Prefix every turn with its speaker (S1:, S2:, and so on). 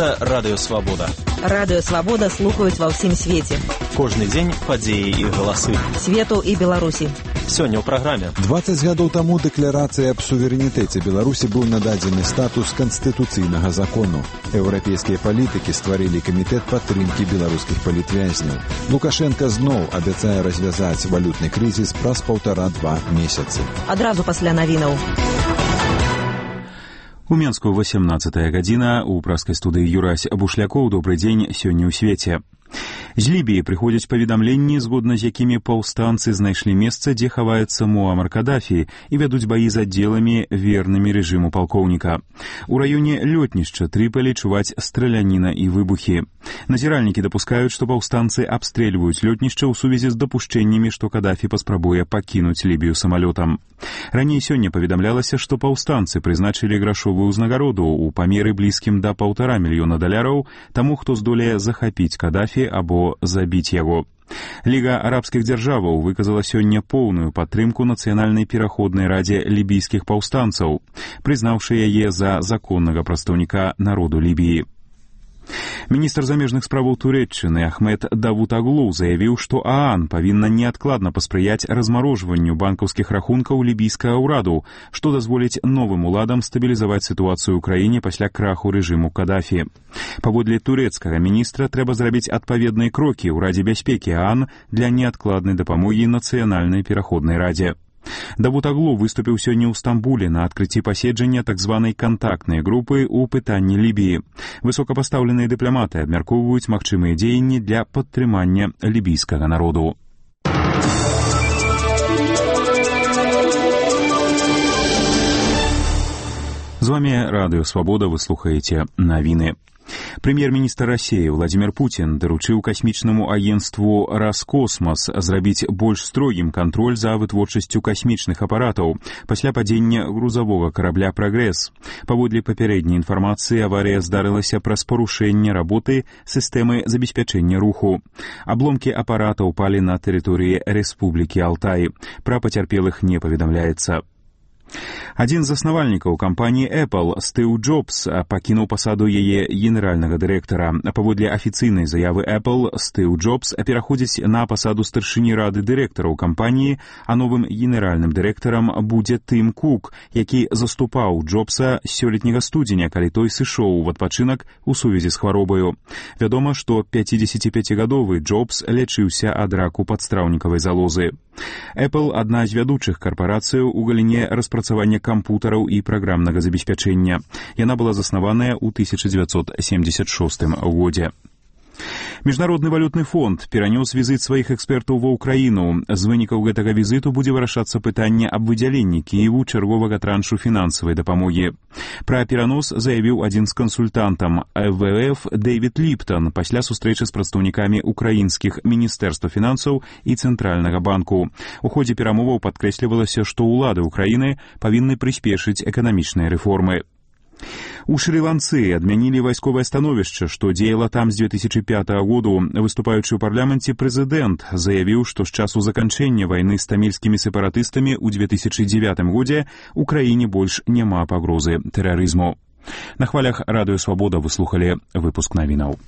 S1: Гэта Радыё Свабода.
S2: Радыё Свабода слухаюць ва ўсім свеце.
S1: Кожны дзень падзеі і галасы.
S2: Свету і Беларусі.
S1: Сёння ў праграме.
S3: 20 гадоў таму дэкларацыі аб суверэнітэце Беларусі быў нададзены статус канстытуцыйнага закону. Еўрапейскія палітыкі стварылі камітэт падтрымкі беларускіх палітвязняў. Лукашенка зноў абяцае развязаць валютны крызіс праз 1,5-2 месяцы.
S2: Адразу пасля навінаў.
S4: У Менску 18 гадзіна, у праскай студыі Юрась Бушлякоў. Добры дзень, сёння ў свеце. З Лібіі прыходзяць паведамленні, згодна з якімі паўстанцы знайшлі месца, дзе хаваецца Муамар Кадафі, і вядуць баі з аддзеламі, вернымі рэжыму палкоўніка. У раёне лётнішча Трыполі чуваць страляніна і выбухі. Назіральнікі дапускаюць, што паўстанцы абстрэльваюць лётнішча ў сувязі з дапушчэннямі, што Кадафі паспрабуе пакінуць Лібію самалётам. Раней сёння паведамлялася, што паўстанцы прызначылі грашовую ўзнагароду ў памеры блізкім да $1,5 мільёна таму, хто здолее захапіць Кадафі або забіць яго. Ліга арабскіх дзяржаваў выказала сёння поўную падтрымку нацыянальнай пераходнай радзе лібійскіх паўстанцаў, прызнаўшы яе за законнага прадстаўніка народу Лібіі. Міністр замежных справаў Турэччыны Ахмед Давутаглу заявіў, што ААН павінна неадкладна паспрыяць размарожванню банкаўскіх рахункаў лібійскага ўраду, што дазволіць новым уладам стабілізаваць сітуацыю ў краіне пасля краху рэжыму Кадафі. Паводле турэцкага міністра трэба зрабіць адпаведныя крокі ў Радзе бяспекі ААН для неадкладнай дапамогі нацыянальнай пераходнай радзе. Давутаглу выступіў сёння ў Стамбуле на адкрыцці паседжання так званай кантактнай групы ў пытанні Лібіі. Высокапастаўленыя дыпламаты абмяркоўваюць магчымыя дзеянні для падтрымання лібійскага народу. З вами Радыё Свабода, вы слухаеце навіны. Прэм'ер-міністр Расіі Владзімір Пуцін даручыў касмічнаму агенцтву «Раскосмас» зрабіць больш строгім кантроль за вытворчасцю касмічных апаратаў пасля падзення грузавога карабля «Прагрэс». Паводле папярэдняй інфармацыі, аварыя здарылася праз парушэнне работы сістэмы забеспячэння руху. Абломкі апарата ўпалі на тэрыторыі Рэспублікі Алтай. Пра пацярпелых не паведамляецца. Адзін з заснавальнікаў кампаніі Apple, Стыў Джобс, пакінуў пасаду яе генеральнага дырэктара. Паводле афіцыйнай заявы Apple, Стыў Джобс пераходзіць на пасаду старшыні рады дырэктараў кампаніі, а новым генеральным дырэктарам будзе Тым Кук, які заступаў Джобса сёлетняга студзеня, калі той сышоў у адпачынак у сувязі з хваробаю. Вядома, што 55-гадовы Джобс лячыўся ад раку падстраўнікавай залозы. Apple – адна з вядучых карпарацыяў у галіне распрацавання кампутараў і праграмнага забеспячэння. Яна была заснаваная ў 1976 годзе. Міжнародны валютны фонд перанёс візіт сваіх экспертаў ва ўкраіну. З вынікаў гэтага візіту будзе вырашацца пытанне аб выдзяленні Кіеву чарговага траншу фінансавай дапамогі. Пра перанос заявіў адзін з кансультантам МВФ Дэвід Ліптон пасля сустрэчы з прадстаўнікамі украінскіх міністэрства фінансаў і Цэнтральнага банку. У ходзе перамоваў падкрэслівалася, што ўлады ўкраіны павінны прыспешыць эканамічныя рэформы. У Шры-Ланцы адмянілі вайсковае становішча, што дзеяла там з 2005 году. Выступаючы ў парламенце прэзідэнт заявіў, што з часу заканчэння вайны з тамільскімі сепаратыстамі ў 2009 годзе ў краіне больш няма пагрозы тэрарызму. На хвалях Радыё Свабода вы слухалі выпуск навінаў.